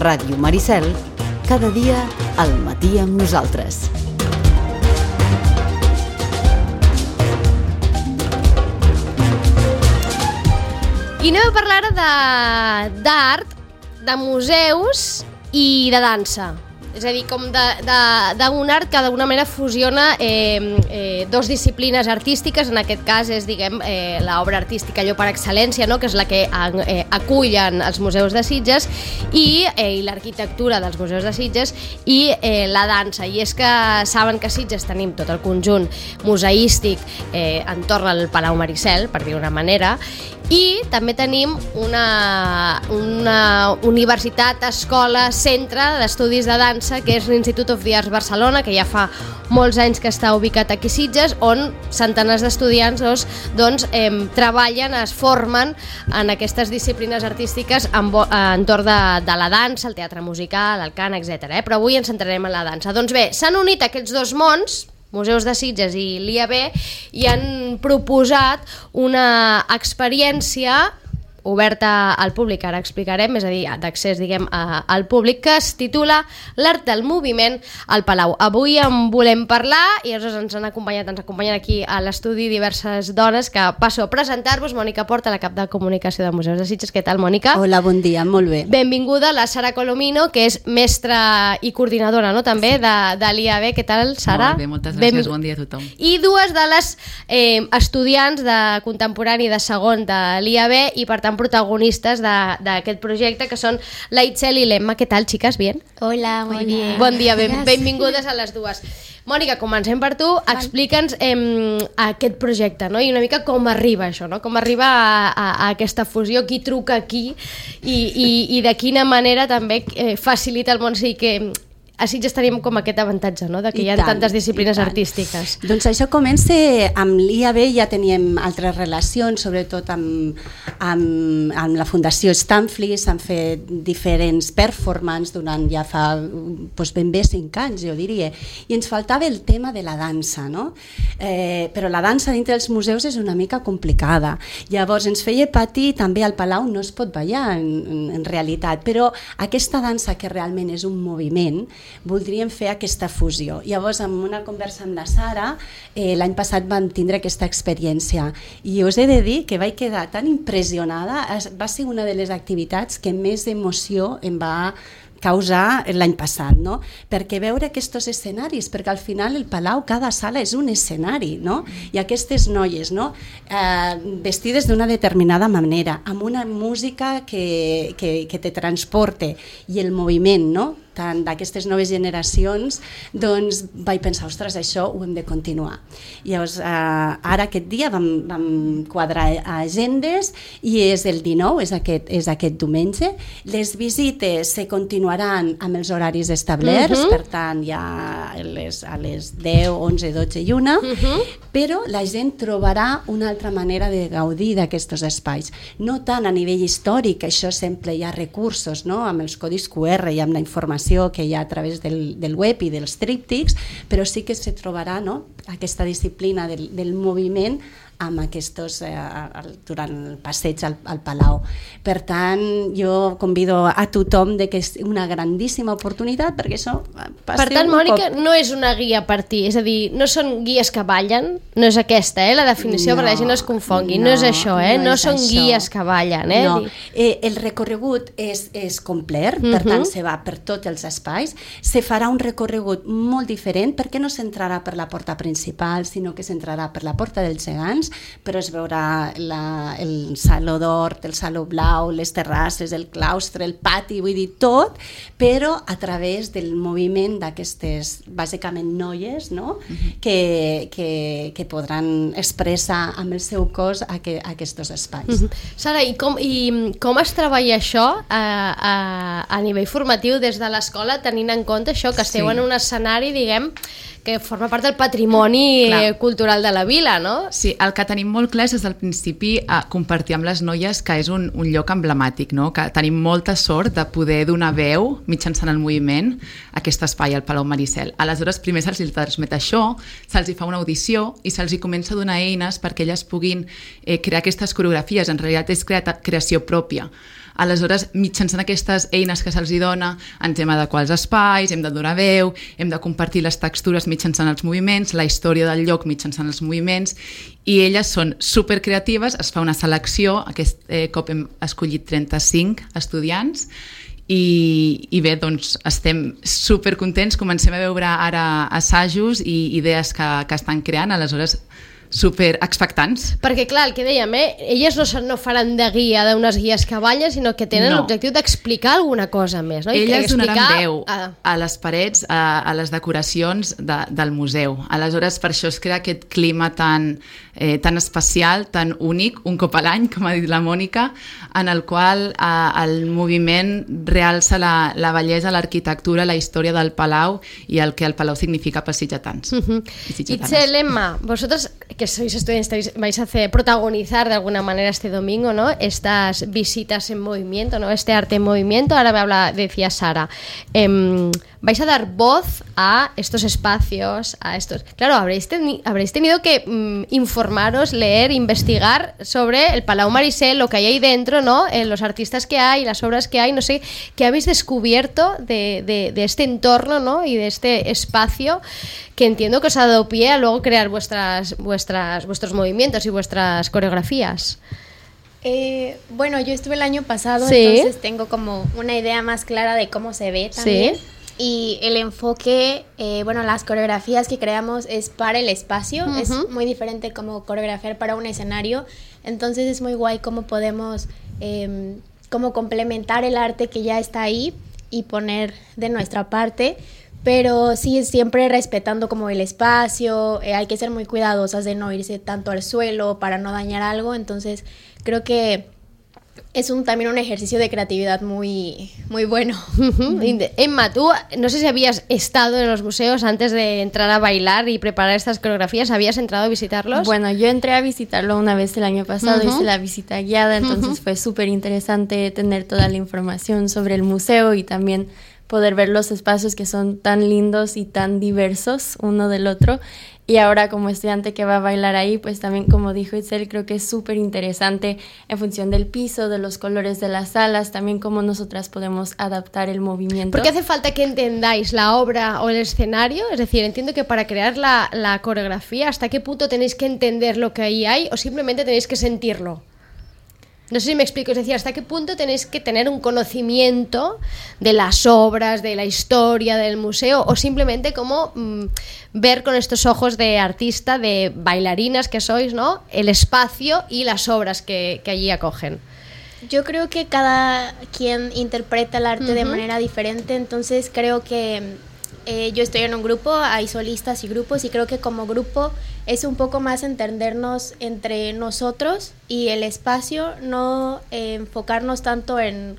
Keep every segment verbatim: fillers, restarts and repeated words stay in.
Ràdio Maricel, cada dia al matí amb nosaltres. I anem a parlar d'art, de museus i de dansa. És a dir, com d'un art que d'alguna manera fusiona eh, eh, dos disciplines artístiques, en aquest cas és, diguem, eh, l'obra artística allò per excel·lència, no? Que és la que eh, acullen els museus de Sitges i, eh, i l'arquitectura dels museus de Sitges i eh, la dansa. I és que saben que a Sitges tenim tot el conjunt museístic eh, entorn al Palau Maricel, per dir-ho d'una manera, i també tenim una, una universitat, escola, centre d'estudis de dansa, que és l'Institute of the Arts Barcelona, que ja fa molts anys que està ubicat aquí a Sitges, on centenars d'estudiants doncs, doncs, eh, treballen, es formen en aquestes disciplines artístiques en, entorn de, de la dansa, el teatre musical, el cant, etcètera. Eh? Però avui ens centrarem en la dansa. Doncs bé, s'han unit aquests dos mons, Museus de Sitges i l'I A B, i han proposat una experiència oberta al públic, ara explicarem, és a dir, d'accés, diguem, a, al públic, que es titula L'art del moviment al Palau. Avui en volem parlar i llavors ens han acompanyat, ens acompanyen aquí a l'estudi diverses dones que passo a presentar-vos. Mònica Porta, la cap de comunicació de Museus de Sitges. Què tal, Mònica? Hola, bon dia, molt bé. Benvinguda la Sara Colomino, que és mestra i coordinadora, no?, també de, de l'I A B. Què tal, Sara? Molt bé, moltes gràcies, ben... bon dia a tothom. I dues de les eh, estudiants de contemporani de segon de l'I A B i, per tant, protagonistes d'aquest projecte, que són la Itzel i l'Emma. Què tal, xiques? Bien? Hola, muy bien. Bon dia, ben, benvingudes a les dues. Mònica, comencem per tu. Explica'ns eh, aquest projecte, no? I una mica com arriba això, no? Com arriba a, a, a aquesta fusió, qui truca aquí i, i, i de quina manera també eh, facilita el món. O sigui que a Sitges tenim com aquest avantatge, no?, de que I hi ha tant, tantes disciplines artístiques. Doncs això comença amb l'I A B, ja teníem altres relacions, sobretot amb, amb, amb la Fundació Stanfli, s'han fet diferents performances durant ja fa doncs ben bé cinc anys, jo diria, i ens faltava el tema de la dansa, no? Eh, però la dansa dintre dels museus és una mica complicada. Llavors ens feia patir, també al Palau no es pot ballar en, en, en realitat, però aquesta dansa que realment és un moviment, voldríem fer aquesta fusió. Llavors, en una conversa amb la Sara, eh, l'any passat vam tindre aquesta experiència i us he de dir que vaig quedar tan impressionada, va ser una de les activitats que més emoció em va causar l'any passat, no? Perquè veure aquests escenaris, perquè al final el Palau, cada sala és un escenari, no? I aquestes noies, no? Eh, vestides d'una determinada manera, amb una música que, que, que te transporte i el moviment, no?, tant d'aquestes noves generacions, doncs vaig pensar, ostres, això ho hem de continuar. I llavors, eh, ara aquest dia vam, vam quadrar agendes i és el dinou, és aquest, és aquest diumenge. Les visites se continuaran amb els horaris establerts, uh-huh. per tant, ja a les, a les deu, onze, dotze i una, uh-huh. però la gent trobarà una altra manera de gaudir d'aquests espais. No tant a nivell històric, això sempre hi ha recursos, no?, amb els codis Q R i amb la informació que hi ha a través del, del web i dels tríptics, però sí que se trobarà, no?, aquesta disciplina del, del moviment amb aquests, eh, durant el passeig al, al Palau. Per tant, jo convido a tothom de que és una grandíssima oportunitat perquè això passi. Per tant, Mònica, cop... no és una guia per ti, és a dir, no són guies que ballen, no és aquesta, eh, la definició, no, perquè la gent no es confongui, no, no és això, eh, no, no són això. Guies que ballen. Eh? No. Eh, el recorregut és, és complet, per uh-huh. tant, se va per tots els espais, se farà un recorregut molt diferent perquè no s'entrarà per la porta principal, sinó que s'entrarà per la porta dels gegants, però es veurà la, el saló d'or, el saló blau, les terrasses, el claustre, el pati, vull dir tot, però a través del moviment d'aquestes, bàsicament, noies, no?, uh-huh. que, que, que podran expressar amb el seu cos aqu aquests espais. Uh-huh. Sara, i com, i com es treballa això a, a, a nivell formatiu des de l'escola, tenint en compte això, que esteu sí. en un escenari, diguem, que forma part del patrimoni Clar. cultural de la vila, no? Sí, el que tenim molt clar és des del principi a compartir amb les noies que és un, un lloc emblemàtic, no? Que tenim molta sort de poder donar veu mitjançant el moviment a aquest espai, al Palau Maricel. Aleshores, primer se'ls transmet això, se'ls fa una audició i se'ls comença a donar eines perquè elles puguin eh, crear aquestes coreografies. En realitat és creació pròpia. Aleshores, mitjançant aquestes eines que se'ls dona, ens hem d'adequar als espais, hem de donar veu, hem de compartir les textures mitjançant els moviments, la història del lloc mitjançant els moviments, i elles són supercreatives, es fa una selecció, aquest eh, cop hem escollit trenta-cinc estudiants, I, i bé, doncs estem supercontents, comencem a veure ara assajos i idees que, que estan creant, aleshores super expectants. Perquè clar, el que dèiem, eh? elles no, no faran de guia d'unes guies que ballen, sinó que tenen no. l'objectiu d'explicar alguna cosa més. No? I elles explicar... donaran veu a... a les parets, a, a les decoracions de, del museu. Aleshores, per això es crea aquest clima tan, eh, tan especial, tan únic, un cop a l'any, com ha dit la Mònica, en el qual eh, el moviment realça la, la bellesa, l'arquitectura, la història del Palau i el que el Palau significa per sitgetans. Uh-huh. Itzel, Emma, vosotros que sois estudiantes vais a hacer, protagonizar de alguna manera este domingo, ¿no? Estas visitas en movimiento, ¿no? Este arte en movimiento. Ahora me habla, decía Sara, eh, vais a dar voz a estos espacios, a estos... Claro, habréis, teni habréis tenido que mm, informaros, leer, investigar sobre el Palau Maricel, lo que hay ahí dentro, ¿no? Eh, los artistas que hay, las obras que hay, no sé, ¿qué habéis descubierto de, de, de este entorno, ¿no? Y de este espacio que entiendo que os ha dado pie a luego crear vuestras, vuestras, vuestros movimientos y vuestras coreografías? Eh, bueno, yo estuve el año pasado, ¿Sí? entonces tengo como una idea más clara de cómo se ve también. ¿Sí? Y el enfoque, eh, bueno, las coreografías que creamos es para el espacio, uh-huh. es muy diferente como coreografiar para un escenario, entonces es muy guay cómo podemos eh, como complementar el arte que ya está ahí y poner de nuestra parte, pero sí siempre respetando como el espacio, eh, hay que ser muy cuidadosas de no irse tanto al suelo para no dañar algo, entonces creo que es un, también un ejercicio de creatividad muy, muy bueno. Emma, tú no sé si habías estado en los museos antes de entrar a bailar y preparar estas coreografías, ¿habías entrado a visitarlos? Bueno, yo entré a visitarlo una vez el año pasado, uh-huh. hice la visita guiada, entonces uh-huh. fue súper interesante tener toda la información sobre el museo y también poder ver los espacios que son tan lindos y tan diversos uno del otro. Y ahora como estudiante que va a bailar ahí, pues también como dijo Itzel, creo que es súper interesante en función del piso, de los colores de las salas, también cómo nosotras podemos adaptar el movimiento. Porque hace falta que entendáis la obra o el escenario, es decir, entiendo que para crear la, la coreografía, ¿hasta qué punto tenéis que entender lo que ahí hay o simplemente tenéis que sentirlo? No sé si me explico, es decir, ¿hasta qué punto tenéis que tener un conocimiento de las obras, de la historia del museo o simplemente como mmm, ver con estos ojos de artista, de bailarinas que sois, ¿no? El espacio y las obras que, que allí acogen? Yo creo que cada quien interpreta el arte uh-huh. de manera diferente, entonces creo que eh, yo estoy en un grupo, hay solistas y grupos y creo que como grupo es un poco más entendernos entre nosotros y el espacio, no eh, enfocarnos tanto en,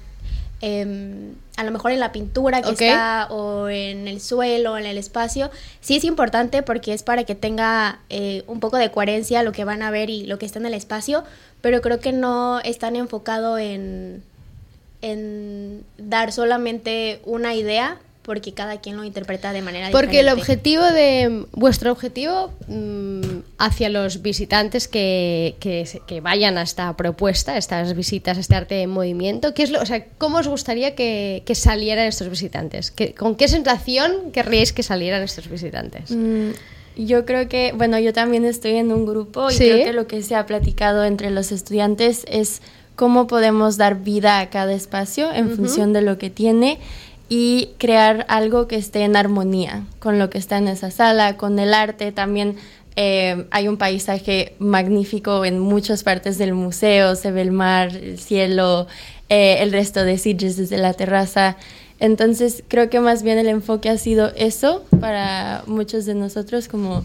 eh, a lo mejor en la pintura que okay. está o en el suelo o en el espacio. Sí es importante porque es para que tenga eh, un poco de coherencia lo que van a ver y lo que está en el espacio, pero creo que no es tan enfocado en, en dar solamente una idea, porque cada quien lo interpreta de manera porque diferente. Porque el objetivo de vuestro objetivo mmm, hacia los visitantes que, que, que vayan a esta propuesta, a estas visitas, a este arte en movimiento, ¿qué es lo, o sea, ¿cómo os gustaría que, que salieran estos visitantes? ¿Qué, ¿Con qué sensación querríais que salieran estos visitantes? Mm, yo creo que, bueno, yo también estoy en un grupo y ¿Sí? creo que lo que se ha platicado entre los estudiantes es cómo podemos dar vida a cada espacio en uh-huh. función de lo que tiene y crear algo que esté en armonía con lo que está en esa sala, con el arte. También eh, hay un paisaje magnífico en muchas partes del museo, se ve el mar, el cielo, eh, el resto de Sitges desde la terraza. Entonces creo que más bien el enfoque ha sido eso para muchos de nosotros, como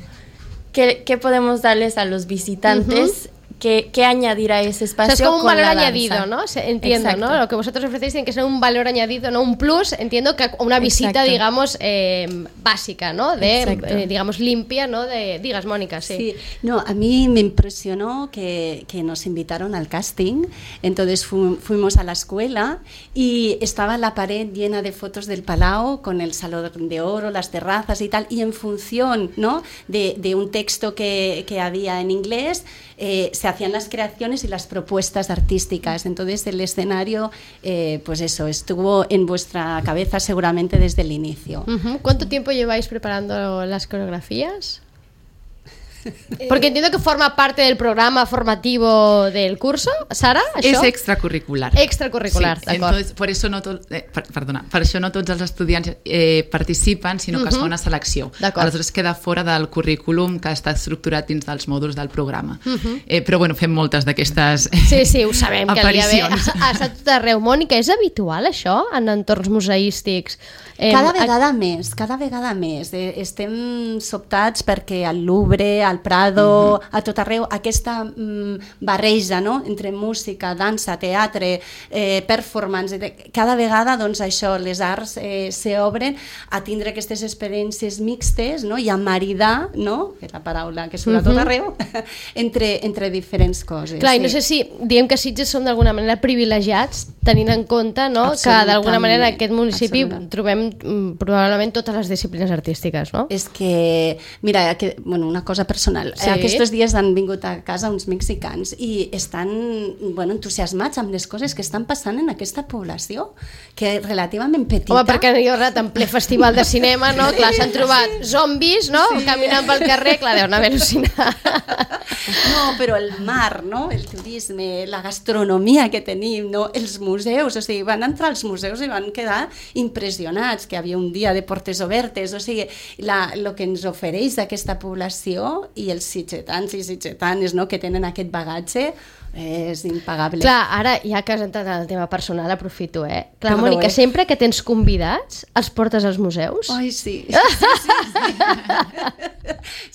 qué, qué podemos darles a los visitantes, uh-huh. ¿Qué, qué añadir a ese espacio? O sea, es como un con valor la añadido, danza. ¿no? Se, entiendo, Exacto. ¿no? Lo que vosotros ofrecéis tiene que ser un valor añadido, no un plus. Entiendo que una visita, Exacto. digamos, eh, básica, ¿no? De, eh, digamos, limpia, ¿no? De, digas, Mónica, sí. Sí. No, a mí me impresionó que, que nos invitaron al casting. Entonces fu fuimos a la escuela y estaba la pared llena de fotos del Palau con el Salón de Oro, las terrazas y tal. Y en función, ¿no? de, de un texto que, que había en inglés, eh, se hacían las creaciones y las propuestas artísticas. Entonces el escenario, eh, pues eso, estuvo en vuestra cabeza seguramente desde el inicio. Uh-huh. ¿Cuánto tiempo lleváis preparando las coreografías? Porque entiendo que forma parte del programa formativo del curso, Sara, això? És extracurricular. Extracurricular, sí, d'acord. Entonces, por eso no tot, eh, per, perdona, per això no tots els estudiants eh, participen, sinó que uh-huh. es fa una selecció. Aleshores queda fora del currículum que està estructurat dins dels mòduls del programa. Uh-huh. eh, però bueno, fem moltes d'aquestes Sí, sí, ho sabem, que li ha, ha estat tot arreu. Mònica, és habitual això en entorns museístics? Eh, cada vegada a... més, cada vegada més. Eh, estem sobtats perquè al Louvre, al Prado, mm-hmm. a tot arreu, aquesta mm, barreja, no?, entre música, dansa, teatre, eh, performance, cada vegada doncs, això, les arts eh, s'obren a tindre aquestes experiències mixtes, no?, i a maridar, no?, que és la paraula que surt a tot arreu, entre, entre diferents coses. Clar, sí. I no sé si diem que Sitges som d'alguna manera privilegiats, tenint en compte, no?, que d'alguna manera en aquest municipi trobem probablement totes les disciplines artístiques, no? És que, mira, que, bueno, una cosa personal. Sí. Aquests dies han vingut a casa uns mexicans i estan, bueno, entusiasmats amb les coses que estan passant en aquesta població, que és relativament petita. Home, perquè jo he en ple festival de cinema, no? Clar, s'han trobat zombis, no?, sí. caminant pel carrer, clar, deuen haver al·lucinat. No, però el mar, no?, el turisme, la gastronomia que tenim, no?, els museus, o sigui, van entrar als museus i van quedar impressionats, que havia un dia de portes obertes, o sigui, la, lo que ens ofereix aquesta població i els sitgetans i sitgetanes, no?, que tenen aquest bagatge, és impagable. Clar, ara, ja que has entrat en el tema personal, aprofito, eh? Clar, Perdó, Mònica, eh? sempre que tens convidats, els portes als museus? Ai, sí. Sí, sí, sí.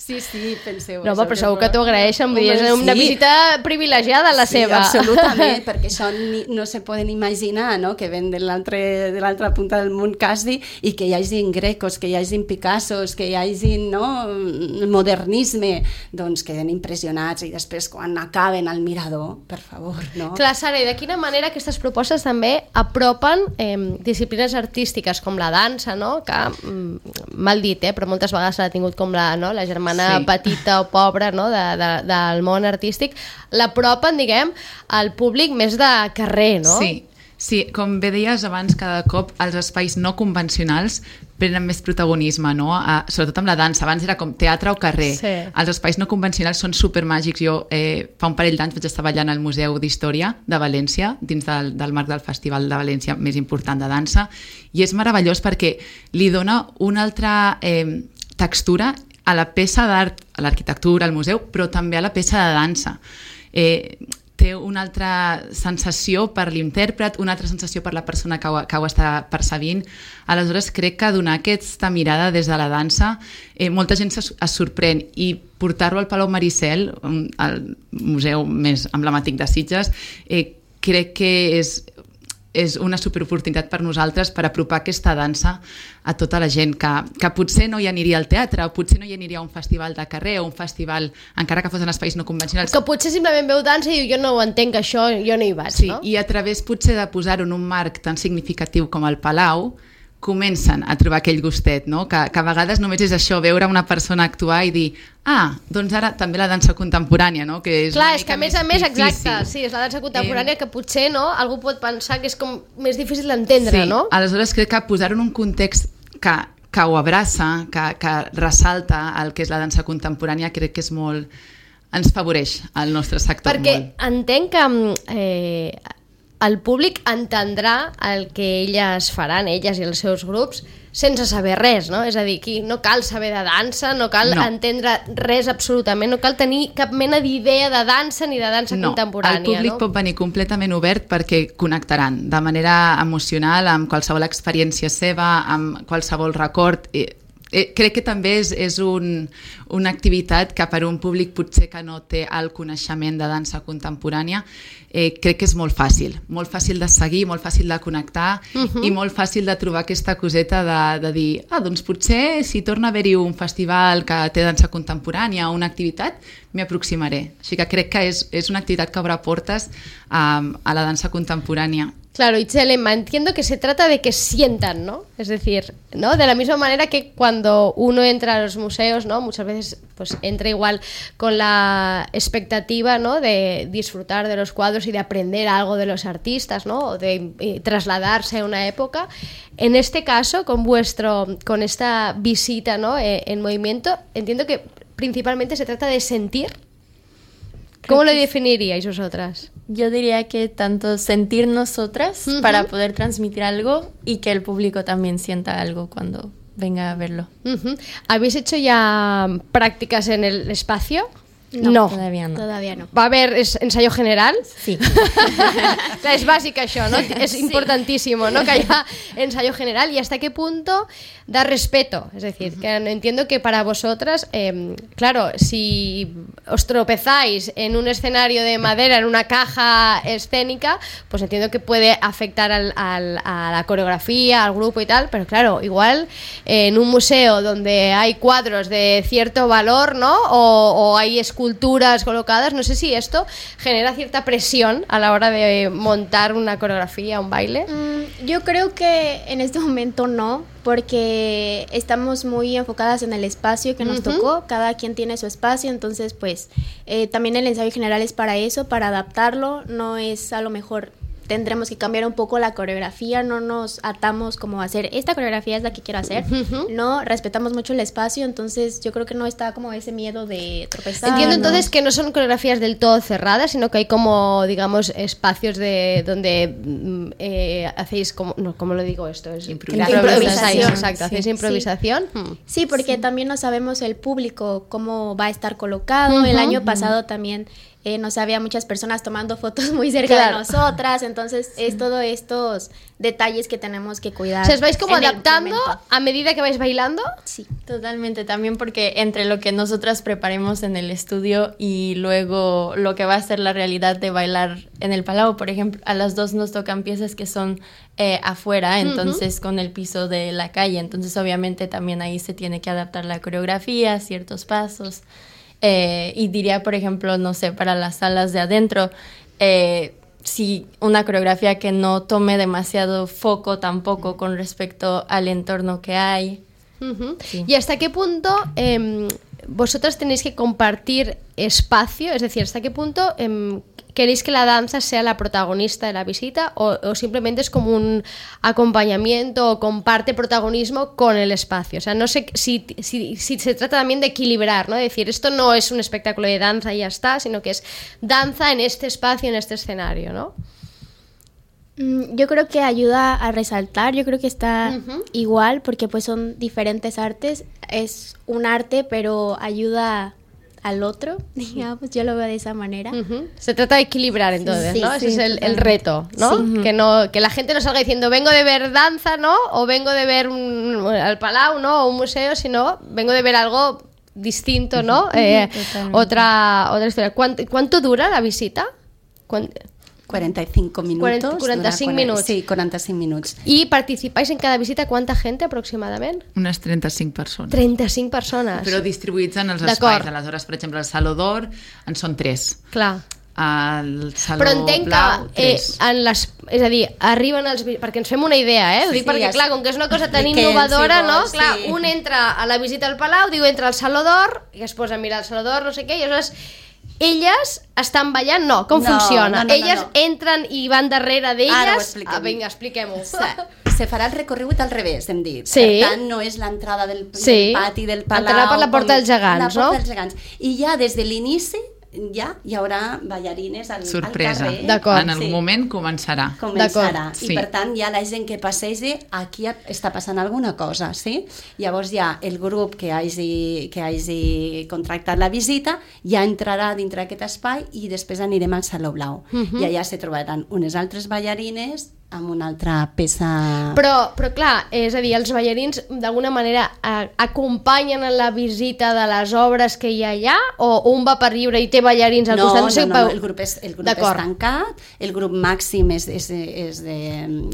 Sí, sí, penseu. No, però segur que t'ho agraeixen, vull dir, és una sí. visita privilegiada la sí, seva. Sí, absolutament, perquè això ni, no se poden imaginar, no?, que ven de l'altra punta del món quasi, i que hi hagin grecos, que hi hagin Picassos, que hi hagin, no?, modernisme, doncs queden impressionats, i després quan acaben al mirador, per favor, no? Clar, Sara, i de quina manera aquestes propostes també apropen eh, disciplines artístiques com la dansa, no?, que, mm, mal dit, eh, però moltes vegades l'ha tingut com la, no?, la germana sí. petita o pobra, no?, de, de, del món artístic, l'apropen, diguem, al públic més de carrer, no? Sí. Sí, com bé deies abans, cada cop els espais no convencionals prenen més protagonisme, no? A, sobretot amb la dansa. Abans era com teatre o carrer. Sí. Els espais no convencionals són supermàgics. Jo eh, fa un parell d'anys vaig estar ballant al Museu d'Història de València, dins del, del marc del Festival de València més important de dansa, i és meravellós perquè li dona una altra eh, textura a la peça d'art, a l'arquitectura, al museu, però també a la peça de dansa. Eh, té una altra sensació per l'intèrpret, una altra sensació per la persona que ho, que ho està percebint. Aleshores, crec que donar aquesta mirada des de la dansa, eh, molta gent es, es sorprèn, i portar-lo al Palau Maricel, el museu més emblemàtic de Sitges, eh, crec que és és una superoportunitat per nosaltres per apropar aquesta dansa a tota la gent que, que potser no hi aniria al teatre, o potser no hi aniria a un festival de carrer, o un festival, encara que fos en espais no convencionals. Que potser simplement veu dansa i diu, jo no ho entenc això, jo no hi vaig, sí, no? I a través potser de posar-ho en un marc tan significatiu com el Palau, comencen a trobar aquell gustet, no? Que, que a vegades només és això, veure una persona actuar i dir, ah, doncs ara també la dansa contemporània, no? Que és Clar, és que a més a més, difícil. Exacte, sí, és la dansa contemporània eh... que potser, no?, algú pot pensar que és com més difícil d'entendre, sí. no? Aleshores crec que posar-ho en un context que, que ho abraça, que, que ressalta el que és la dansa contemporània, crec que és molt... ens favoreix al nostre sector Perquè molt. Perquè entenc que... Eh, el públic entendrà el que elles faran, elles i els seus grups, sense saber res, no? És a dir, aquí no cal saber de dansa, no cal no. entendre res absolutament, no cal tenir cap mena d'idea de dansa ni de dansa no, contemporània. El públic no? pot venir completament obert perquè connectaran de manera emocional amb qualsevol experiència seva, amb qualsevol record. Eh, crec que també és, és un, una activitat que per un públic potser que no té el coneixement de dansa contemporània, eh, crec que és molt fàcil, molt fàcil de seguir, molt fàcil de connectar uh-huh. i molt fàcil de trobar aquesta coseta de, de dir, ah, doncs potser si torna a haver-hi un festival que té dansa contemporània o una activitat, m'hi aproximaré. Així que crec que és, és una activitat que obre portes a, a la dansa contemporània. Claro, Itzel, Emma, entiendo que se trata de que sientan, ¿no? Es decir, ¿no? De la misma manera que cuando uno entra a los museos, ¿no? Muchas veces pues entra igual con la expectativa, ¿no? De disfrutar de los cuadros y de aprender algo de los artistas, ¿no? O de eh, trasladarse a una época. En este caso, con vuestro, con esta visita, ¿no? Eh, en movimiento, entiendo que principalmente se trata de sentir. ¿Cómo lo definiríais vosotras? Yo diría que tanto sentir nosotras Uh-huh. para poder transmitir algo y que el público también sienta algo cuando venga a verlo. Uh-huh. ¿Habéis hecho ya prácticas en el espacio? No, todavía no. Todavía no. ¿Va a haber es- ensayo general? Sí. O sea, es básica això, ¿no? Es importantísimo, ¿no? Que haya ensayo general. ¿Y hasta qué punto da respeto? Es decir, que entiendo que para vosotras, eh, claro, si os tropezáis en un escenario de madera, en una caja escénica, pues entiendo que puede afectar al, al- a la coreografía, al grupo y tal, pero claro, igual eh, en un museo donde hay cuadros de cierto valor, ¿no? O, o hay esculturas colocadas, no sé si esto genera cierta presión a la hora de montar una coreografía, un baile. Mm, yo creo que en este momento no, porque estamos muy enfocadas en el espacio que nos Ujú. tocó, cada quien tiene su espacio, entonces pues eh, también el ensayo general es para eso, para adaptarlo, no es a lo mejor tendremos que cambiar un poco la coreografía, no nos atamos como a hacer, esta coreografía es la que quiero hacer, Ujú. no, respetamos mucho el espacio, entonces yo creo que no está como ese miedo de tropezar. Entiendo ¿no? entonces que no son coreografías del todo cerradas, sino que hay como, digamos, espacios de donde mm, eh, hacéis, como, no, ¿cómo lo digo esto? Es Improvisación. improvisáis, exacto, Sí. hacéis Sí. improvisación. Mm. Sí, porque también no sabemos el público cómo va a estar colocado. El Ujú. año pasado también eh, no había muchas personas tomando fotos muy cerca Claro. de nosotras, entonces es todos estos detalles que tenemos que cuidar. O sea, ¿os vais como en el adaptando momento. a medida que vais bailando? Sí. Totalmente, también porque entre lo que nosotras preparemos en el estudio y luego lo que va a ser la realidad de bailar en el Palau, por ejemplo, a las dos nos tocan piezas que son eh, afuera, entonces con el piso de la calle, entonces obviamente también ahí se tiene que adaptar la coreografía, ciertos pasos, eh, y diría, por ejemplo, no sé, para las salas de adentro, eh, si una coreografía que no tome demasiado foco tampoco con respecto al entorno que hay. Ujú. Sí. ¿Y hasta qué punto em, vosotras tenéis que compartir espacio? Es decir, ¿hasta qué punto em, queréis que la danza sea la protagonista de la visita o, o simplemente es como un acompañamiento o comparte protagonismo con el espacio? O sea, no sé si, si, si se trata también de equilibrar, ¿no? Es decir, esto no es un espectáculo de danza y ya está, sino que es danza en este espacio, en este escenario, ¿no? Mm, Yo creo que ayuda a resaltar, yo creo que está Ujú. igual porque pues son diferentes artes, es un arte pero ayuda al otro, digamos, yo lo veo de esa manera. Ujú. Se trata de equilibrar entonces, Sí, ¿no? sí, Ese es el, el totalmente. reto, ¿no? Sí. Que no que la gente no salga diciendo vengo de ver danza, ¿no? O vengo de ver un, al Palau, ¿no? O un museo, sino vengo de ver algo distinto, ¿no? Eh, Totalmente. otra otra historia. ¿Cuánto, cuánto dura la visita? ¿Cuán- quaranta i cinc minuts. quaranta- quaranta-cinc dura minuts. Sí, quaranta-cinc minuts. ¿Y participáis en cada visita cuánta gente aproximadamente? Unes trenta-cinc persones. trenta-cinc persones. Però distribuïts en els D'acord. espais. Aleshores, per exemple, el Saló d'Or en són tres. Clar. El Saló Però entenc Blau, que eh, tres. en les, és a dir, arriben els... vi- perquè ens fem una idea, eh? Ho Sí, dic sí, perquè, ja clar, sé. com que és una cosa tan Expliquem, innovadora, si no? vols, Clar, sí. un entra a la visita al Palau, diu, entra al Saló d'Or, i es posa a mirar el Saló d'Or, no sé què, i aleshores elles estan ballant? No, com No, funciona? no, no, no, elles no. entren i van darrere Ara ho d'elles? expliquem. Ah, vinga, expliquem-ho. Se, se farà el recorregut al revés, hem dit. Sí. Per tant, no és l'entrada del, Sí. del pati del Palau. Entrarà per la porta com- dels gegants, la porta no? dels gegants. I ja des de l'inici ja hi haurà ballarines al, Sorpresa. al carrer. D'acord. En algun Sí. moment començarà. Començarà. D'acord. I Sí. per tant, ja la gent que passegi, aquí està passant alguna cosa, sí? Llavors ja el grup que hagi, que hagi contractat la visita ja entrarà dintre d'aquest espai i després anirem al Saló Blau. Mhm. I allà se trobaran unes altres ballarines amb una altra peça... Però, però clar, és a dir, els ballarins d'alguna manera a, acompanyen en la visita de les obres que hi ha allà, o un va per lliure i té ballarins al no, costat? No, sé, no, no, el grup és, el grup és tancat, el grup màxim és, és, és de,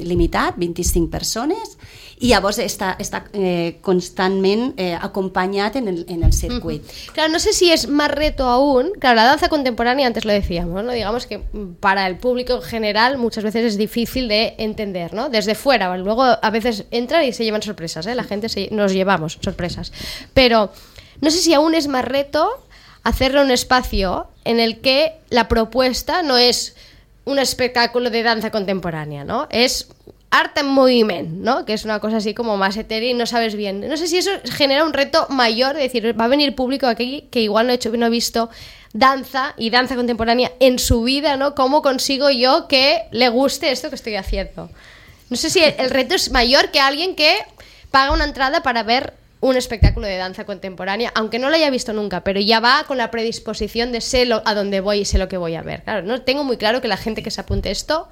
limitat, vint-i-cinc persones, i llavors està, està eh, constantment eh, acompañat en el, en el circuit. Uh-huh. Claro, no sé si es más reto aún. Claro, la danza contemporánea, antes lo decíamos, ¿no? Digamos que para el público en general muchas veces es difícil de entender, ¿no? Desde fuera, luego a veces entran y se llevan sorpresas, ¿eh? La gente se, nos llevamos sorpresas. Pero no sé si aún es más reto hacerlo un espacio en el que la propuesta no es un espectáculo de danza contemporánea, ¿no? Es arte en movimiento, ¿no? Que es una cosa así como más etérea y no sabes bien. No sé si eso genera un reto mayor, de decir, va a venir público aquí que igual no, he hecho, no ha visto danza y danza contemporánea en su vida, ¿no? ¿Cómo consigo yo que le guste esto que estoy haciendo? No sé si el, el reto es mayor que alguien que paga una entrada para ver un espectáculo de danza contemporánea, aunque no lo haya visto nunca, pero ya va con la predisposición de sé lo, a dónde voy y sé lo que voy a ver. Claro, no tengo muy claro que la gente que se apunte esto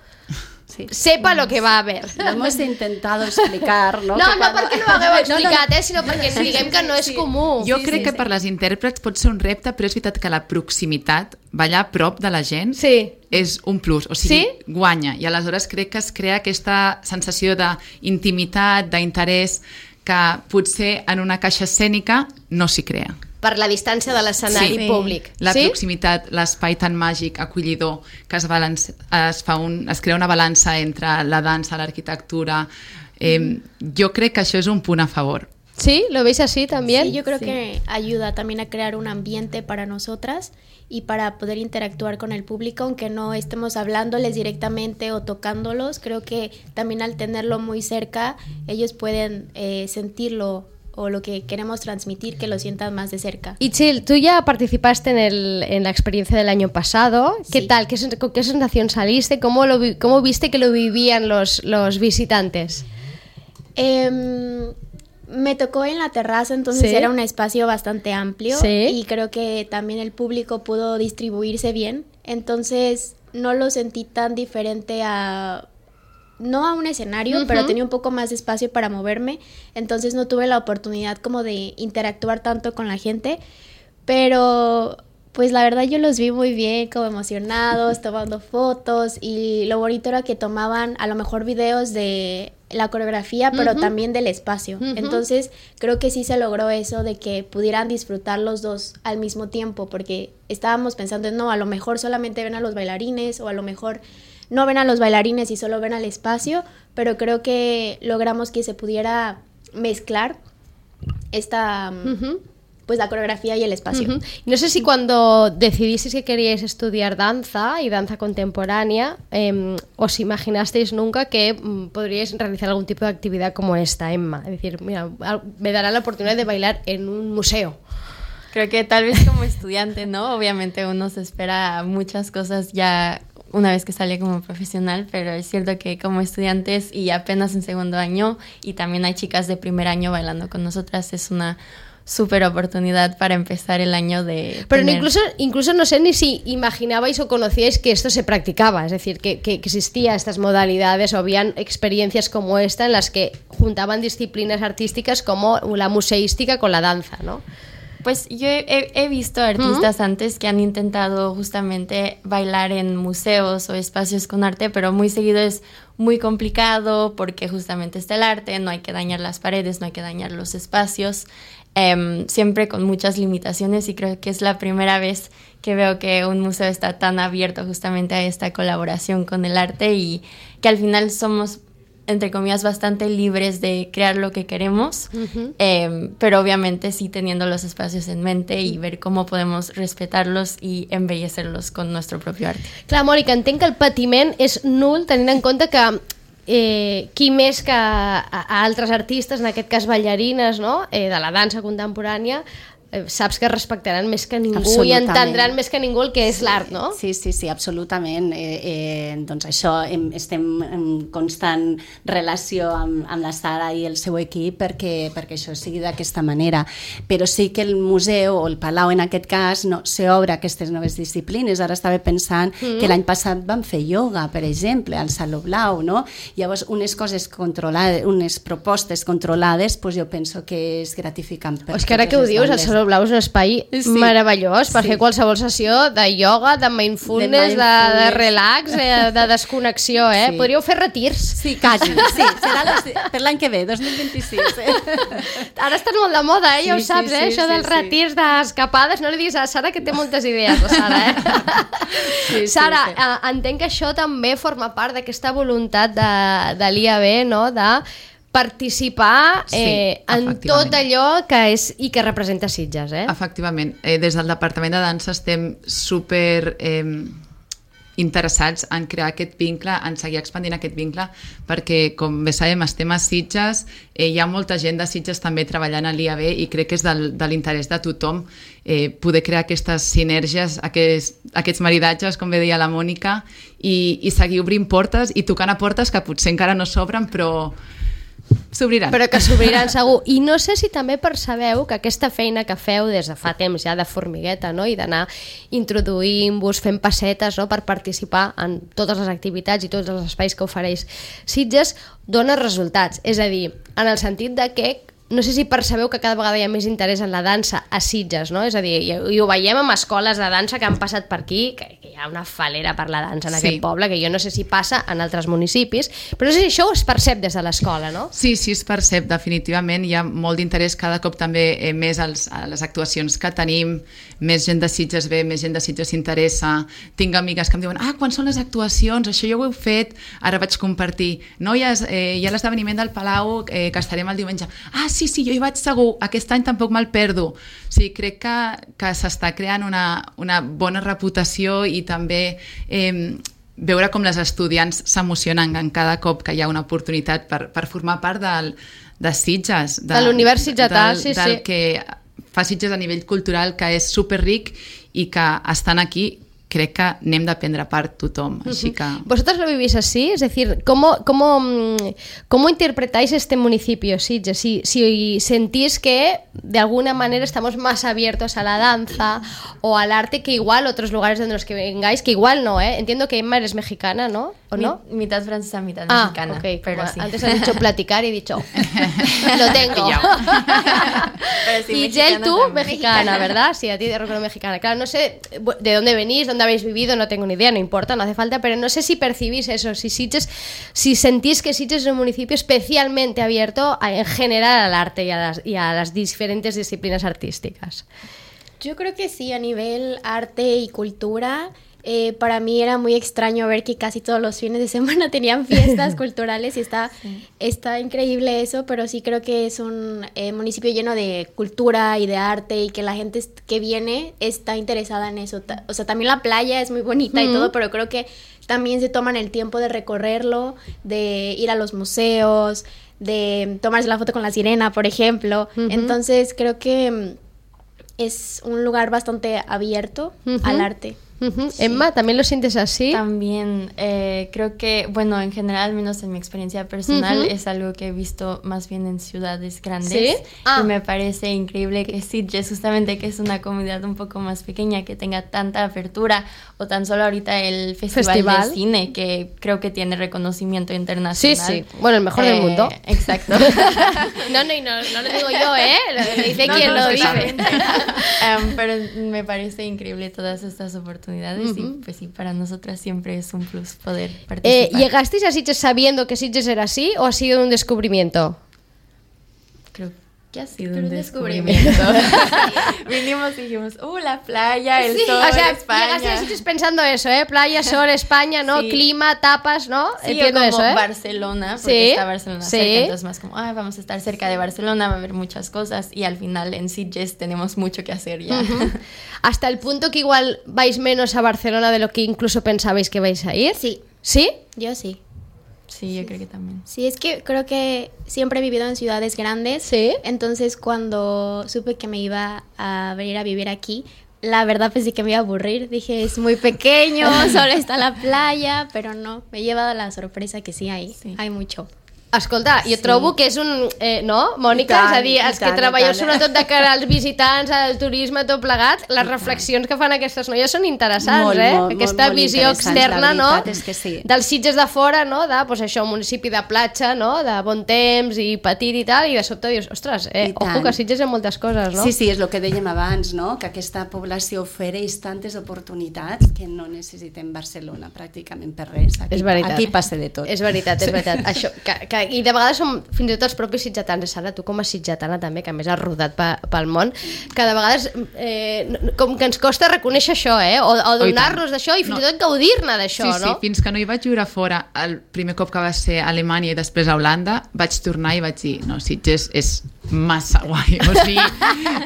sí. sepa lo que va a ver. Lo hemos intentado explicar, no? No, no cada... perquè no ho hagueu explicat, no, no. Eh, sinó perquè sí, diguem que no és sí. comú. Jo sí, crec sí, que sí. per les intèrprets pot ser un repte, però és veritat que la proximitat, ballar a prop de la gent, sí. és un plus, o sigui, sí? guanya. I aleshores crec que es crea aquesta sensació d'intimitat, d'interès, que potser en una caixa escènica no s'hi crea. Per la distància de l'escenari sí. públic. La sí? proximitat, l'espai tan màgic, acollidor, que es, balance, es, fa un, es crea una balança entre la dansa, l'arquitectura. Eh, mm. Jo crec que això és un punt a favor. ¿Sí? ¿Lo veis así también? Sí, yo creo sí. que ayuda también a crear un ambiente para nosotras y para poder interactuar con el público, aunque no estemos hablándoles directamente o tocándolos. Creo que también al tenerlo muy cerca, ellos pueden eh, sentirlo o lo que queremos transmitir, que lo sientan más de cerca. Itziel, tú ya participaste en, el, en la experiencia del año pasado. ¿Qué sí. tal? ¿Qué, ¿Con qué sensación saliste? ¿Cómo, lo, cómo viste que lo vivían los, los visitantes? Eh... Me tocó en la terraza, entonces ¿sí? era un espacio bastante amplio ¿sí? y creo que también el público pudo distribuirse bien, entonces no lo sentí tan diferente a, no a un escenario, uh-huh. pero tenía un poco más de espacio para moverme, entonces no tuve la oportunidad como de interactuar tanto con la gente, pero pues la verdad yo los vi muy bien, como emocionados, tomando fotos, y lo bonito era que tomaban a lo mejor videos de la coreografía, pero uh-huh. también del espacio. Uh-huh. Entonces creo que sí se logró eso de que pudieran disfrutar los dos al mismo tiempo, porque estábamos pensando, no, a lo mejor solamente ven a los bailarines, o a lo mejor no ven a los bailarines y solo ven al espacio, pero creo que logramos que se pudiera mezclar esta... Uh-huh. pues la coreografía y el espacio. Uh-huh. No sé si cuando decidisteis que queríais estudiar danza y danza contemporánea, eh, os imaginasteis nunca que mm, podríais realizar algún tipo de actividad como esta, Emma. Es decir, mira, me dará la oportunidad de bailar en un museo. Creo que tal vez como estudiante, ¿no? Obviamente uno se espera muchas cosas ya una vez que sale como profesional, pero es cierto que como estudiantes y apenas en segundo año, y también hay chicas de primer año bailando con nosotras, es una súper oportunidad para empezar el año de... Pero tener... incluso, incluso no sé ni si imaginabais o conocíais que esto se practicaba, es decir, que, que existían estas modalidades o habían experiencias como esta en las que juntaban disciplinas artísticas como la museística con la danza, ¿no? Pues yo he, he visto artistas uh-huh. antes que han intentado justamente bailar en museos o espacios con arte, pero muy seguido es muy complicado porque justamente está el arte, no hay que dañar las paredes, no hay que dañar los espacios, eh, siempre con muchas limitaciones, y creo que es la primera vez que veo que un museo está tan abierto justamente a esta colaboración con el arte, y que al final somos, entre comillas, bastante libres de crear lo que queremos, uh-huh. eh, pero obviamente sí teniendo los espacios en mente y ver cómo podemos respetarlos y embellecerlos con nuestro propio arte. Clar, Mònica, entenc que el patiment és nul, tenint en compte que eh, qui més que a, a altres artistes, en aquest cas ballarines, no? eh, de la dansa contemporània, saps que respectaran més que ningú i Absolutament. entendran més que ningú el que és l'art, no? Sí, sí, sí, absolutament. Eh, eh, doncs això, hem, estem en constant relació amb, amb la Sara i el seu equip perquè, perquè això sigui d'aquesta manera. Però sí que el museu o el Palau, en aquest cas, no, s'obre aquestes noves disciplines. Ara estava pensant mm. que l'any passat vam fer ioga, per exemple, al Saló Blau, no? Llavors, unes coses controlades, unes propostes controlades, doncs jo penso que és gratificant per És que ara que ho dius, el Saló Blau és un espai sí. meravellós per sí. fer qualsevol sessió de ioga, de mindfulness, de, mindfulness. de, de relax, de, de desconnexió, eh? Sí. Podríeu fer retirs. Sí, quasi, sí, serà los, per l'any que ve, dos mil vint-i-sis. Eh? Ara estan molt de moda, eh? Ja sí, ho saps, sí, eh? Sí, Això sí, dels sí. retirs, d'escapades, no li diguis a la Sara que té moltes idees, la Sara, eh? Sí, Sara, sí, sí. entenc que això també forma part d'aquesta voluntat de, de l'I A B, no?, de participar eh, sí, en tot allò que és i que representa Sitges, eh? Efectivament. Eh, des del Departament de Dansa estem super eh, interessats en crear aquest vincle, en seguir expandint aquest vincle, perquè, com bé sabem, estem a Sitges, eh, hi ha molta gent de Sitges també treballant a l'I A B i crec que és del, de l'interès de tothom eh, poder crear aquestes sinergies, aquests, aquests maridatges, com bé deia la Mònica, i, i seguir obrint portes i tocant a portes que potser encara no s'obren, però s'obriran. Però que s'obriran segur. I no sé si també percebeu que aquesta feina que feu des de fa temps ja de formigueta, no?, i d'anar introduint-vos, fent passetes, no?, per participar en totes les activitats i tots els espais que ofereix Sitges, dona resultats. És a dir, en el sentit de que no sé si percebeu que cada vegada hi ha més interès en la dansa a Sitges, no? És a dir, i, i ho veiem amb escoles de dansa que han passat per aquí, que, que hi ha una falera per la dansa en sí. aquest poble, que jo no sé si passa en altres municipis, però no sé si això es percep des de l'escola, no? Sí, sí, es percep, definitivament. Hi ha molt d'interès cada cop també eh, més als, a les actuacions que tenim, més gent de Sitges ve, més gent de Sitges s'interessa. Tinc amigues que em diuen, ah, quan són les actuacions? Això jo ho he fet, ara vaig compartir. Noies, eh, hi ha l'esdeveniment del Palau, eh, que estarem el diumenge. Ah, sí, sí, jo hi vaig segur, aquest any tampoc me'l perdo. O sigui, crec que, que s'està creant una, una bona reputació i també eh, veure com les estudiants s'emocionen en cada cop que hi ha una oportunitat per, per formar part del, de Sitges. De, de l'univers sitgetà, sí, del sí. que fa Sitges a nivell cultural, que és superric i que estan aquí crec que n'hem d'aprendre part tothom, així que... ¿Vosotros lo vivís así? Es decir, ¿cómo, cómo, cómo interpretáis este municipio, Sitges? Si, si sentís que de alguna manera estamos más abiertos a la danza o al arte que igual otros lugares donde los que vengáis, que igual no, ¿eh? Entiendo que Emma eres mexicana, ¿no? ¿O no? Mi, mitad francesa, mitad ah, mexicana. Okay. Pero Bueno, sí. Antes has dicho platicar y he dicho, lo tengo. Pero sí, y Gel, tú, también. mexicana, ¿verdad? Sí, a ti te recuerdo mexicana. Claro, no sé de dónde venís, dónde habéis vivido, no tengo ni idea, no importa, no hace falta, pero no sé si percibís eso, si Sitges, si sentís que Sitges es un municipio especialmente abierto a, en general al arte y a, las, y a las diferentes disciplinas artísticas. Yo creo que sí, a nivel arte y cultura. Eh, para mí era muy extraño ver que casi todos los fines de semana tenían fiestas culturales y está, sí. está increíble eso, pero sí creo que es un eh, municipio lleno de cultura y de arte y que la gente que viene está interesada en eso. O sea, también la playa es muy bonita mm. y todo, pero creo que también se toman el tiempo de recorrerlo, de ir a los museos, de tomarse la foto con la sirena, por ejemplo. Uh-huh. Entonces creo que es un lugar bastante abierto uh-huh. al arte. Uh-huh. Sí. Emma, ¿también lo sientes así? También, eh, creo que, bueno, en general, al menos en mi experiencia personal, uh-huh. es algo que he visto más bien en ciudades grandes. ¿Sí? Ah. Y me parece increíble que Sitges, justamente que es una comunidad un poco más pequeña, que tenga tanta apertura, o tan solo ahorita el Festival, Festival. de Cine, que creo que tiene reconocimiento internacional. Sí, sí, bueno, el mejor eh, del mundo. Exacto. no, no, no, no lo digo yo, ¿eh? Lo dice no, quien no, lo dice. um, pero me parece increíble todas estas oportunidades. Uh-huh. Y pues sí, para nosotras siempre es un plus poder participar. Eh, ¿Llegasteis a Sitges sabiendo que Sitges era así o ha sido un descubrimiento? Creo que ha sido un descubrimiento. Sí. Vinimos y dijimos, uh, la playa, el sí. sol, o sea, España. Llegaste a Sitges pensando eso, ¿eh? Playa, sol, España, ¿no? Sí. Clima, tapas, ¿no? Sí, entiendo o como eso, ¿eh? Barcelona, porque sí. está Barcelona sí. cerca, entonces más como, ah, vamos a estar cerca de Barcelona, va a haber muchas cosas y al final en Sitges tenemos mucho que hacer ya. Uh-huh. Hasta el punto que igual vais menos a Barcelona de lo que incluso pensabais que vais a ir. Sí. ¿Sí? Yo sí. Sí, yo creo que también. Sí, es que creo que siempre he vivido en ciudades grandes. Sí. Entonces, cuando supe que me iba a venir a vivir aquí, la verdad pensé que me iba a aburrir. Dije, es muy pequeño, solo está la playa, pero no. Me he llevado la sorpresa que sí hay, sí. hay mucho. Escolta, jo Sí. trobo que és un... Eh, no, Mònica? I tant, és a dir, i els que tant, i treballeu tant. sobretot de cara als visitants, al turisme, tot plegat, les reflexions que fan aquestes noies són interessants, Molt, eh? molt, Aquesta molt visió interessants, externa, la no? veritat és que sí. Dels Sitges de fora, no? De, pues això, un municipi de platja, no? De bon temps i petit i tal, i de sobte dius, ostres, eh, I tant. ojo que a Sitges hi ha moltes coses, no? Sí, sí, és el que dèiem abans, no? Que aquesta població ofereix tantes oportunitats que no necessitem Barcelona pràcticament per res. Aquí, És veritat. Aquí passa de tot. És veritat, és veritat. Això, que, que, I de vegades som fins i tot els propis sitgetans, Sara, tu com a sitgetana també, que a més has rodat pe, pel món, que de vegades eh, no- com que ens costa reconèixer això, eh? O, o donar-nos d'això i fins No. i tot gaudir-ne d'això, Sí, sí, no? fins que no hi vaig viure fora, el primer cop que va ser a Alemanya i després a Holanda, vaig tornar i vaig dir, no, Sitges és massa guai. O sigui,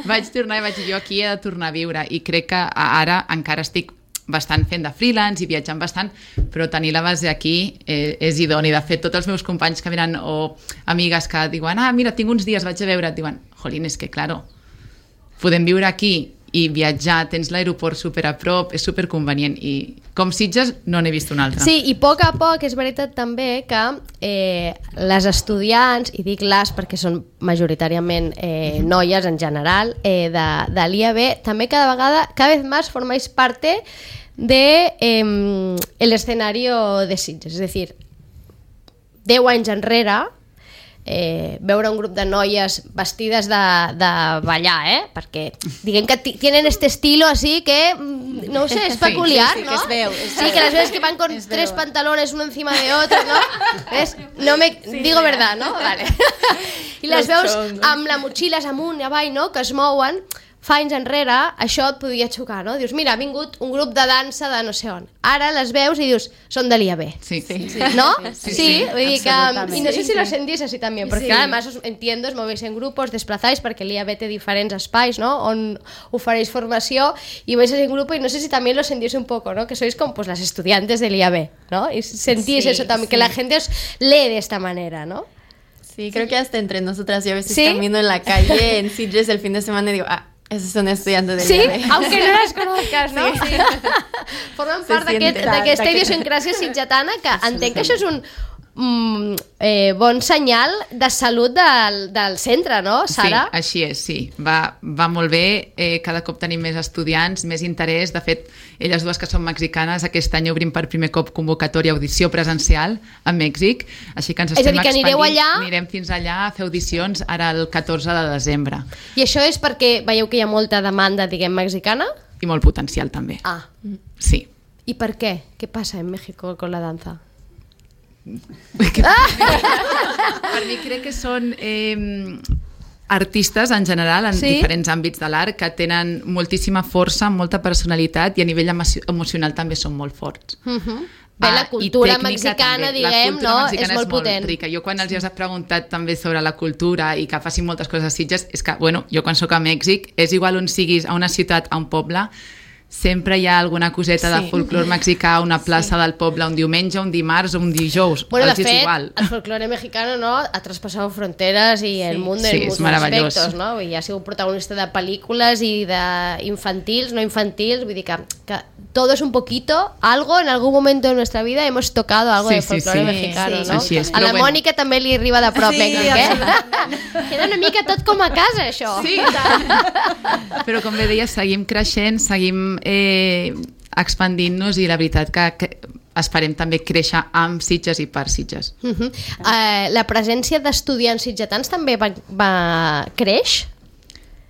vaig tornar i vaig dir, jo aquí he de tornar a viure, i crec que ara encara estic bastant fent de freelance i viatjant bastant, però tenir la base aquí eh, és idoni. De fet, tots els meus companys que venen o amigues que diuen, ah, mira, tinc uns dies, vaig a veure, et diuen, jolín, és que, claro, podem viure aquí i viatjar, tens l'aeroport super a prop, és super convenient, i com Sitges no n'he vist un altre. Sí, i a poc a poc és veritat també que eh, les estudiants, i dic les perquè són majoritàriament eh, noies en general, eh, de, de l'I A B, també cada vegada, cada vez más formáis parte de eh, el escenario de Sitges. És a dir, deu anys enrere, eh, veure un grup de noies vestides de, de ballar, eh? Perquè diguem que t- tienen este estilo así que, mm, no ho sé, és Sí, peculiar, sí, sí, ¿no? que es veu, es sí, veu. que las veces que van con Es tres veu. pantalones uno encima de otro, ¿no? ¿Ves? No me... Digo verdad, no? Vale. I les veus amb la motxilles amunt i avall, no? Que es mouen. Fa anys enrere, això et podia xocar, no? Dius, mira, ha vingut un grup de dansa de no sé on. Ara les veus i dius, són de l'I A B. Sí, sí. ¿No? Sí, Sí, sí, vull dir que... absolutamente. Y no sé Sí, si lo sí. sentís así también, porque Sí. claro, además os entiendo, os movéis en grupos, desplazáis, perquè l'I A B té diferents espais, ¿no? On ofereix formació y vais en grupo, y no sé si también lo sentís un poco, ¿no? Que sois como pues las estudiantes del I A B, ¿no? Y sentís Sí, eso también, sí. que la gente os lee de esta manera, ¿no? Sí, creo que hasta entre nosotras, yo a veces ¿Sí? camino en la calle en Sitges el fin de semana y digo, ah, ese es un estudiante del Sí, I A B. aunque no las conozcas, no? Sí. Formen Se part d'aquest- siente. d'aquesta D'aquest- idiosincràsia sitgetana que entenc que això és un mm, eh, bon senyal de salut del, del centre, no, Sara? Sí, així és, sí. Va, va molt bé, eh, cada cop tenim més estudiants, més interès. De fet, elles dues que són mexicanes, aquest any obrim per primer cop convocatòria audició presencial a Mèxic, així que ens És a estem dir, que anireu expandint. allà- Anirem fins allà a fer audicions ara el catorze de desembre. I això és perquè veieu que hi ha molta demanda, diguem, mexicana? I molt potencial, també. Ah, Sí. ¿y por qué? ¿Qué pasa en México con la danza? Per mi crec que són eh, artistes en general, en Sí? diferents àmbits de l'art, que tenen moltíssima força, molta personalitat, i a nivell emo- emocional també són molt forts. Uh -huh. Bé, la Ah, i cultura tècnica mexicana, també. La diguem, cultura no? mexicana És molt potent. rica. Jo quan els hi has preguntat també sobre la cultura i que facin moltes coses a Sitges, és que, bueno, jo quan sóc a Mèxic, és igual on siguis, a una ciutat, a un poble, sempre hi ha alguna coseta Sí. de folclor mexicà, una plaça del poble, un diumenge, un dimarts o un dijous. Bueno, de Els és fet, igual. el folclore mexicano, no?, ha traspasado fronteras y el mundo Sí, en és muchos meravellós. aspectos, no? I ha sigut protagonista de pel·lícules i d'infantils, no infantils, vull dir que, que todo es un poquito, algo en algún momento de nuestra vida hemos tocado algo Sí, de sí, folclore sí. mexicano, Sí, no? així és, A la però bueno. Mònica també li arriba de prop, Sí, Mèxic, eh? Queda una mica tot com a casa, això. Sí, però com bé deia, seguim creixent, seguim eh, expandint-nos, i la veritat que, que esperem també créixer amb Sitges i per Sitges. Uh -huh. uh, la presència d'estudiants sitgetans també va, va creix?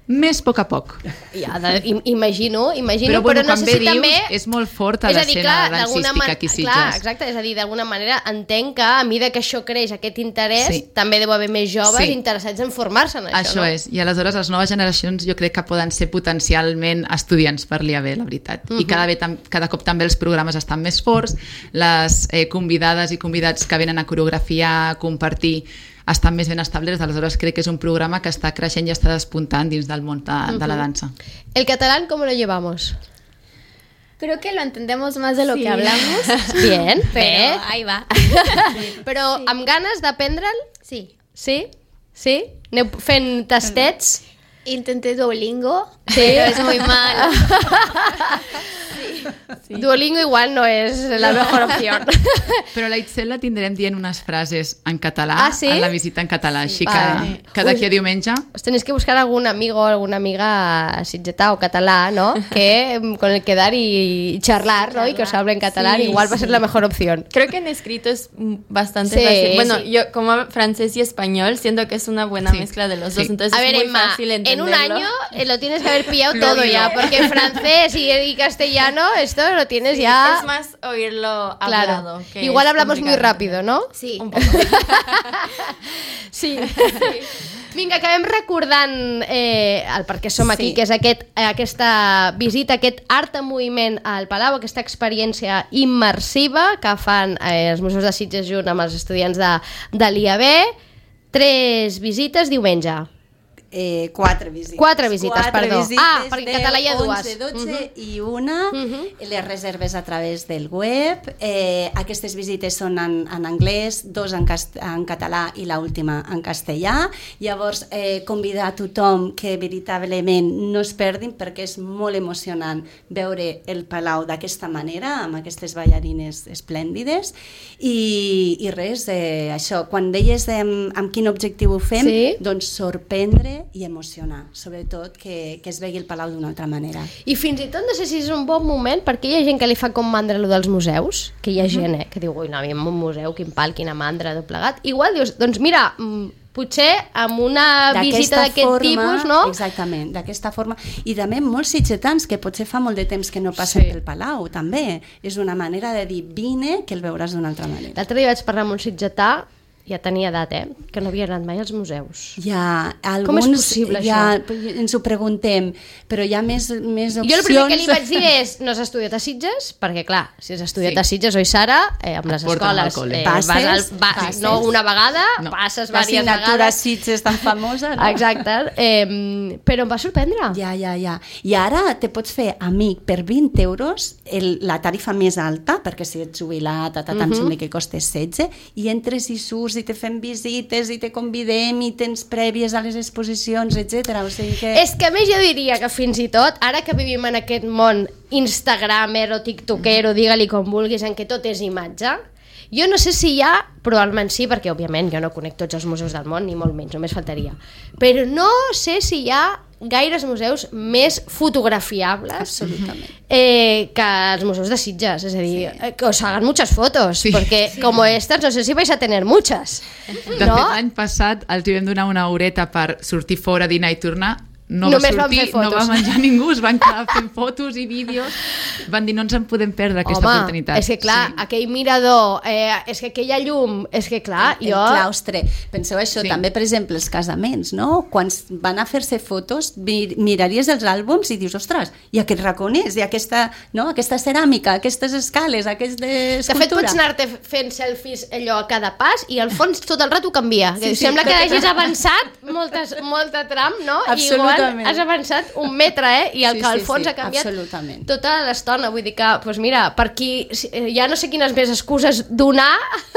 Més a poc a poc. Ja, de, im- imagino, imagino, Però, bueno, però no com sé bé si dius, també... és molt forta És a dir, l'escena clar, d'alguna dancística man- aquí a Sitges. Clar, exacte, és a dir, d'alguna manera entenc que a mesura que això creix, aquest interès, Sí. també deu haver més joves Sí. interessats en formar-se en això, Això no? és, i aleshores les noves generacions jo crec que poden ser potencialment estudiants per l'I A B, la veritat. Mhm. I cada, ve, tam- cada cop també els programes estan més forts, les eh, convidades i convidats que venen a coreografiar, a compartir, estan més ben establerts, aleshores crec que és un programa que està creixent i està despuntant dins del món de, de la dansa. El catalán, ¿cómo lo llevamos? Creo que lo entendemos más de lo sí. que hablamos. Bien, pero ahí va. Però sí. amb ganes d'aprendre'l? Sí. Sí? Sí? Aneu fent tastets? Intenté Duolingo, sí. pero es muy mal. Sí. Duolingo igual no és la mejor opció. Però la Itzel la tindrem dient unes frases en català ah, sí? en la visita en català, Sí. així Vale. que, que d'aquí a diumenge... Os tenéis que buscar algún amigo o alguna amiga sitgetà o català, ¿no? Que con el quedar y charlar, ¿no? Y que os hable en catalán, Sí, igual va a ser sí. la mejor opción. Creo que en escrito es bastante Sí, fácil. Bueno, sí. yo como francés y español siento que es una buena Sí. mezcla de los Sí. dos, entonces A ver, es muy Emma, fácil en entenderlo. un año eh, lo tienes que haber pillado Lo todo digo. ya, porque francés y, y castellano, esto lo tienes Sí, ya... es más oírlo Claro. hablado. Que Igual es hablamos muy complicado rápido, ¿no? Sí. Un poco. Sí. Vinga, acabem recordant eh, el per què som aquí, Sí. que és aquest, aquesta visita, aquest art en moviment al Palau, aquesta experiència immersiva que fan eh, els Museus de Sitges junt amb els estudiants de, de l'I A B. Tres visites diumenge. Eh, quatre visites. Quatre visites, quatre perdó. Visites Ah, perquè en català hi ha dues. onze, dotze Mhm. i una. Mhm. Les reserves a través del web. Eh, aquestes visites són en, en anglès, dos en, cast en català i l'última en castellà. Llavors, eh, convidar a tothom que veritablement no es perdin, perquè és molt emocionant veure el Palau d'aquesta manera, amb aquestes ballarines esplèndides. I, i res, eh, això, quan deies eh, amb quin objectiu ho fem, Sí. doncs sorprendre i emocionar, sobretot que, que es vegi el Palau d'una altra manera. I fins i tot no sé si és un bon moment, perquè hi ha gent que li fa com mandra allò dels museus, que hi ha gent eh, que diu, ui, no, a mi en un museu, quin pal, quina mandra, tot plegat. Igual dius, doncs mira, mm, potser amb una visita d'aquest forma, tipus, no? Exactament, d'aquesta forma. I també molts sitgetans, que potser fa molt de temps que no passen Sí. pel Palau, també. És una manera de dir, vine, que el veuràs d'una altra manera. L'altre dia vaig parlar amb un sitgetà, ja tenia edat, eh? Que no havia anat mai als museus. Ja, alguns, Com és possible, ja, això? ens ho preguntem, però hi ha més, més opcions. Jo el primer que li vaig dir és, no has estudiat a Sitges? Perquè clar, si has estudiat Sí. a Sitges, oi Sara, eh, amb Et les porten al escoles col·le. eh, Passes, vas al, va, passes. no una vegada, No. passes diverses L'assignatura vegades. Sitges tan famosa, no? Exacte, eh, però em va sorprendre. Ja, ja, ja. I ara te pots fer amic per vint euros, el, la tarifa més alta, perquè si ets jubilat, ta, ta, ta, em Mhm. sembla que costa setze, i entres i surts i te fem visites i te convidem i tens prèvies a les exposicions, etcètera. O sigui que... És que a més jo diria que fins i tot, ara que vivim en aquest món instagramer o tiktokero, digue-li com vulguis, en què tot és imatge, jo no sé si hi ha, probablement sí, perquè òbviament jo no conec tots els museus del món, ni molt menys, només faltaria, però no sé si hi ha gaires museus més fotografiables Absolutament. eh, que els museus de Sitges, és a dir, sí. que os hagan muchas fotos, Sí. perquè sí. como estas no sé si vais a tener muchas. De no? fet, l'any passat els hi vam donar una horeta per sortir fora, dinar i tornar. No Només va van sortir, fer fotos. no va menjar ningú, es van quedar fent fotos i vídeos. Van dir, no ens en podem perdre aquesta Home, oportunitat. és que clar, Sí. aquell mirador, eh, és que aquella llum, és que clar, el jo... claustre. Penseu això, Sí. també, per exemple, els casaments, no? Quan van a fer-se fotos, mir miraries els àlbums i dius, ostres, i aquest raconers, i aquesta, no? aquesta ceràmica, aquestes escales, aquesta De fet, escultura. pots anar-te fent selfies allò a cada pas i al fons tot el rato canvia. Sí, Sí, sí, Sembla que tot- hagis avançat moltes, molta tram, no? I igual Absolutament. has avançat un metre, eh? I el Sí, que al sí, fons sí, ha canviat absolutament. tota l'estona. Vull dir que, doncs mira, per aquí ja no sé quines més excuses donar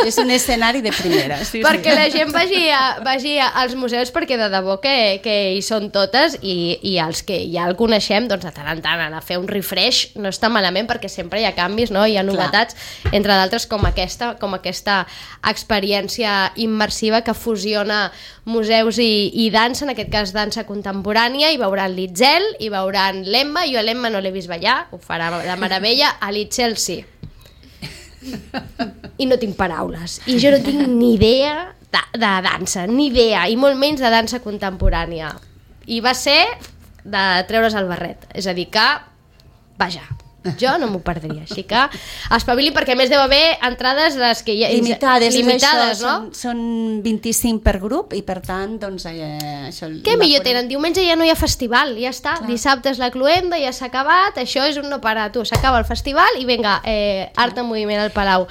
És un escenari de primera. Sí, perquè sí. la gent vagi, a, vagi als museus, perquè de debò que, que hi són totes i, i els que ja el coneixem, doncs de tant en tant anar a fer un refresh no està malament, perquè sempre hi ha canvis, no? Hi ha novetats, entre d'altres com aquesta, com aquesta experiència immersiva que fusiona museus i, i dansa, en aquest cas dansa contemporània, i veuran l'Itzel, i veuran l'Emma. Jo a l'Emma no l'he vist ballar, ho farà de meravella, a l'Itzel sí. I no tinc paraules. I jo no tinc ni idea de, de dansa, ni idea, i molt menys de dansa contemporània. I va ser de treure's el barret. És a dir que, vaja, jo no m'ho perdria. Així que espavili, perquè a més deu haver entrades les que hi ha... Limitades, limitades, això, no? Són, són vint-i-cinc per grup i per tant, doncs, eh, això... Què va millor fora. tenen? Diumenge ja no hi ha festival, ja està. Clar. Dissabte és la cluenda, ja s'ha acabat, això és un no parar. Tu, s'acaba el festival i vinga, eh, art en moviment al Palau.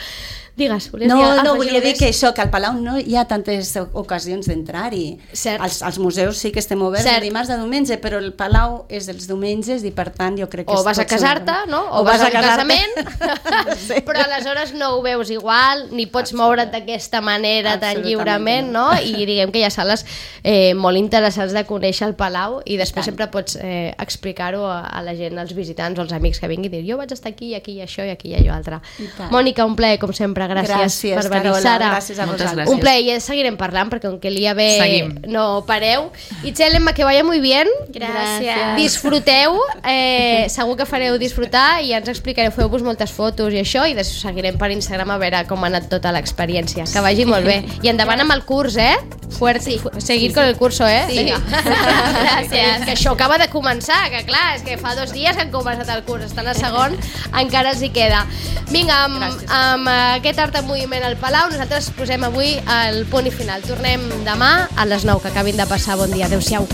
Digues, volies No, dir, no, afegir volia dir més? que això, que al Palau no hi ha tantes ocasions d'entrar-hi. Cert. Els, els museus sí que estem oberts Cert. de dimarts a diumenge, però el Palau és els diumenges i per tant jo crec que... O és vas a tot casar-te, sobre- no? O, vas, a un casar-te. casament, Sí. però aleshores no ho veus igual, ni pots moure't d'aquesta manera tan Absolutament lliurement, no. no? I diguem que hi ha sales eh, molt interessants de conèixer el Palau i després tant. sempre pots eh, explicar-ho a, a la gent, als visitants o als amics que vinguin i dir jo vaig estar aquí, aquí, això i aquí i allò altre. I tant. Mònica, un plaer, com sempre, gràcies, Gràcies, per venir, Carola, Sara. gràcies a Moltes vosaltres. gràcies. Un plaer, i ja seguirem parlant perquè aunque el día ve Seguim. no pareu. Itzel, Emma, que vaya muy bien. Gràcies. Disfruteu, eh, segur que fareu disfrutar i ja ens explicareu, feu-vos moltes fotos i això, i després us seguirem per Instagram a veure com ha anat tota l'experiència. Que vagi molt bé. I endavant amb el curs, eh? Fuert, sí. Seguir sí, sí. con el curso, eh? Sí. Vinga. Gràcies. Que això acaba de començar, que clar, és que fa dos dies que han començat el curs, estan a segon, encara els hi queda. Vinga, amb, amb aquest art en moviment al Palau, nosaltres posem avui el punt i final. Tornem demà a les nou, que acabin de passar. Bon dia, adeu-siau.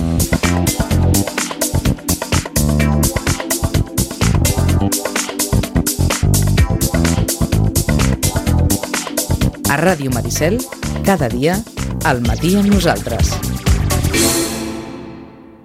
A Ràdio Maricel, cada dia, al matí amb nosaltres.